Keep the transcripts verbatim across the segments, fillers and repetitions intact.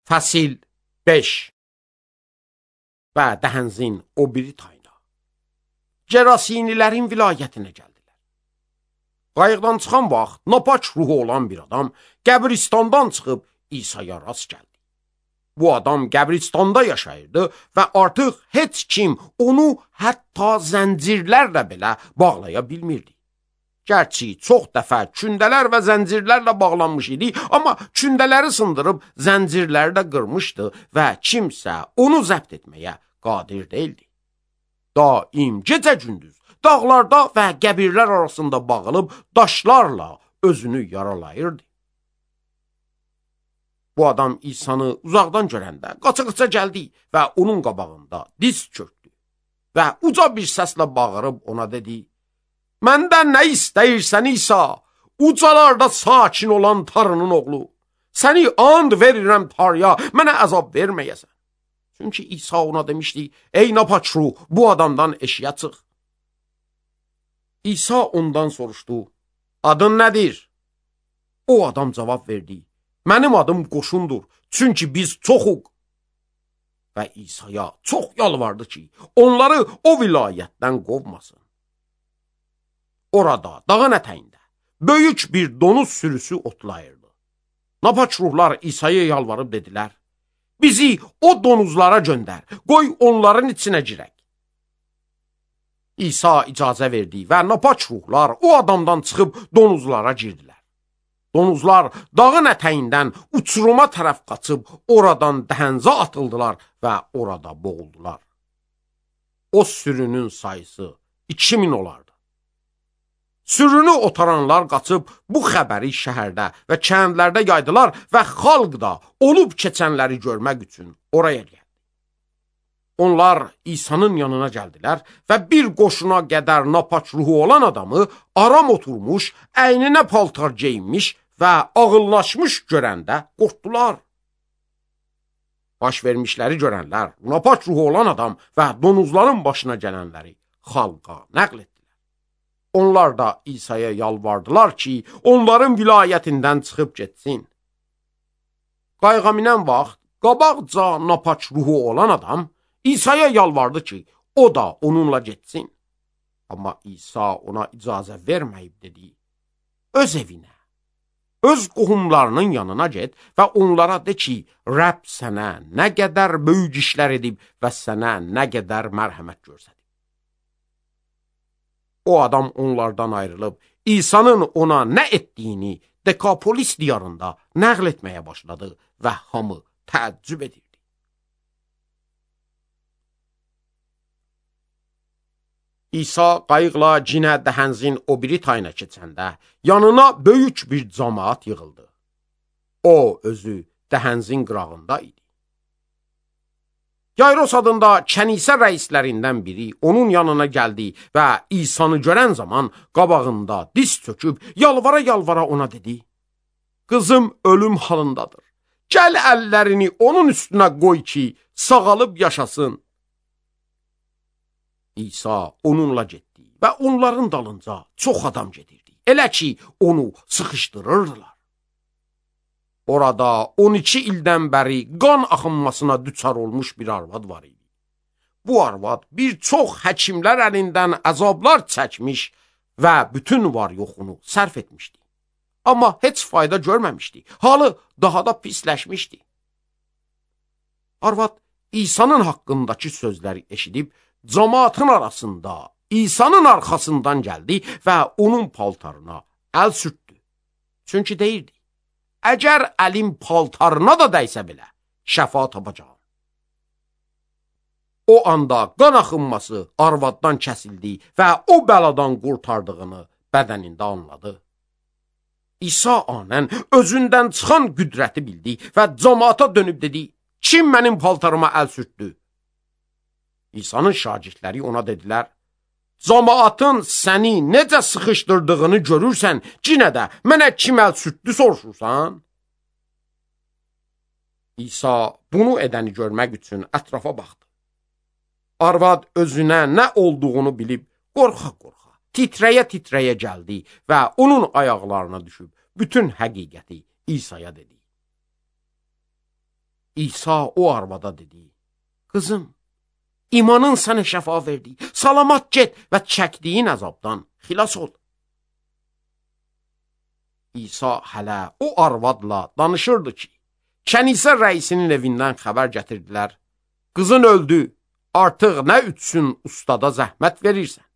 Fəsil beş və Dəhənzin o biri tayına. Gerasinilərin vilayətinə gəldilər. Qayıqdan çıxan vaxt napaç ruhu olan bir adam qəbristandan çıxıb İsa'ya rast gəldi. Bu adam qəbristanda yaşayırdı və artıq heç kim onu hətta zəncirlərlə belə bağlaya bilmirdi. Gərçi çox dəfə kündələr və zəncirlərlə bağlanmış idi, amma kündələri sındırıb zəncirləri də qırmışdı və kimsə onu zəbt etməyə qadir deyildi. Daim gecə-gündüz dağlarda və qəbirlər arasında bağılıb daşlarla özünü yaralayırdı. Bu adam İsa'nı uzaqdan görəndə qaça-qaça gəldi və onun qabağında diz çöktü və uca bir səslə bağırıb ona dedi: "Məndən nə istəyirsən İsa, ucalarda sakin olan Tanrının oğlu? Səni and verirəm Tanrıya, mənə əzab verməyəsən." Çünki İsa ona demişdi: "Ey napaç ruh, bu adamdan eşiyə çıx." İsa ondan soruşdu: "Adın nədir?" O adam cavab verdi: "Mənim adım Qoşundur, çünki biz çoxuq." Və İsa'ya çox yalvardı ki, onları o vilayətdən qovmasın. Orada, dağın ətəyində, böyük bir donuz sürüsü otlayırdı. Napaç ruhlar İsa'ya yalvarıb dedilər: "Bizi o donuzlara göndər, qoy onların içinə girək." İsa icazə verdi və napaç ruhlar o adamdan çıxıb donuzlara girdilər. Donuzlar dağın ətəyindən uçuruma tərəf qaçıb oradan dəhənzə atıldılar və orada boğuldular. O sürünün sayısı iki min olardı. Sürünü otaranlar qaçıb bu xəbəri şəhərdə və kəndlərdə yaydılar və xalq da olub keçənləri görmək üçün oraya gəldi. Onlar İsa'nın yanına gəldilər və bir qoşuna qədər napaç ruhu olan adamı aram oturmuş, əyninə paltar geyinmiş və ağıllaşmış görəndə qorxdular. Baş vermişləri görənlər, napaç ruhu olan adam və donuzların başına gələnləri xalqa nəql etdilər. Onlar da İsa'ya yalvardılar ki, onların vilayətindən çıxıb getsin. Qayığa minən vaxt, qabaqca napaç ruhu olan adam İsa'ya yalvardı ki, o da onunla getsin. Amma İsa ona icazə verməyib dedi: "Öz evinə, öz qohumlarının yanına get və onlara de ki, Rəbb sənə nə qədər böyük işlər edib və sənə nə qədər mərhəmət göstərib." O adam onlardan ayrılıb İsa'nın ona nə etdiyini Dekapolis diyarında nəql etməyə başladı və hamı təəccüb edirdi. İsa qayıqla cinə Dəhənzin o biri tayına keçəndə yanına böyük bir camaat yığıldı. O özü Dəhənzin qırağında idi. Yayros adında kənisə rəislərindən biri onun yanına gəldi və İsa'nı görən zaman qabağında diz çöküb yalvara-yalvara ona dedi: "Qızım ölüm halındadır. Gəl əllərini onun üstünə qoy ki, sağalıb yaşasın." İsa onunla getdi və onların dalınca çox adam gedirdi. Elə ki, onu sıxışdırırdılar. Orada on iki ildən bəri qan axınmasına düçar olmuş bir arvad var idi. Bu arvad bir çox həkimlər əlindən əzablar çəkmiş və bütün var yoxunu sərf etmişdi. Amma heç fayda görməmişdi. Halı daha da pisləşmişdi. Arvad İsa'nın haqqındakı sözləri eşidib, cemaatın arasında İsa'nın arxasından gəldi və onun paltarına əl sürtdü. Çünki deyirdi: "Əgər əlim paltarına da dəysə belə, şəfa tapacağam." O anda qan axınması arvaddan kəsildi və o bəladan qurtardığını bədənində anladı. İsa anən özündən çıxan qüdrəti bildi və cemaata dönüb dedi: "Kim mənim paltarıma əl sürtdü?" İsa'nın şagirdləri ona dedilər: "Cemaatın səni necə sıxışdırdığını görürsən, yenə də mənə kim əl sürtdü soruşursan?" İsa bunu edəni görmək üçün ətrafa baxdı. Arvad özünə nə olduğunu bilib qorxa-qorxa, titrəyə-titrəyə gəldi və onun ayaqlarına düşüb bütün həqiqəti İsa'ya dedi. İsa o arvada dedi: Qızım, imanın sənə şəfa verdi. Salamat get və çəkdiyin əzabdan xilas ol. İsa hələ o arvadla danışırdı ki, kənisə rəisinin evindən xəbər gətirdilər. Qızın öldü, artıq nə üçün ustada zəhmət verirsən?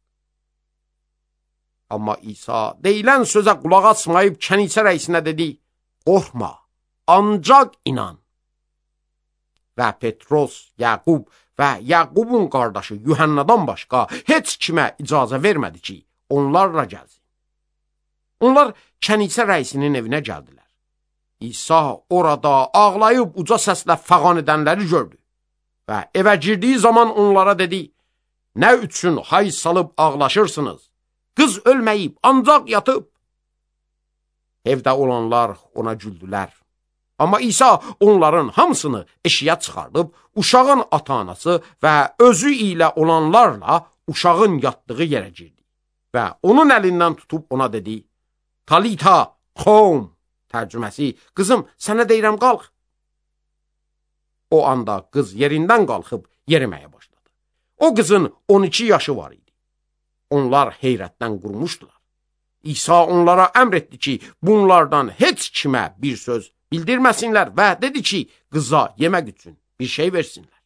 Amma İsa deyilən sözə qulaq asmayıb kənisə rəisinə dedi: Qorxma, ancaq inan. Və Petros, Yaqub və Yaqubun qardaşı Yuhannadan başqa heç kimə icazə vermədi ki, onlarla gəlsin. Onlar kənisə rəisinin evinə gəldilər. İsa orada ağlayıb uca səslə fəğan edənləri gördü və evə girdiyi zaman onlara dedi: Nə üçün hay salıb ağlaşırsınız? Qız ölməyib, ancaq yatıb. Evdə olanlar ona güldülər. Amma İsa onların hamısını eşiyə çıxardıb, uşağın ata-anası və özü ilə olanlarla uşağın yatdığı yerə girdi və onun əlindən tutub ona dedi: Talita xom, tərcüməsi, qızım, sənə deyirəm, qalx. O anda qız yerindən qalxıb yeriməyə başladı. O qızın on iki yaşı var idi. Onlar heyrətdən qurmuşdular. İsa onlara əmr etdi ki, bunlardan heç kimə bir söz bildirməsinlər və dedi ki, qıza yemək üçün bir şey versinlər.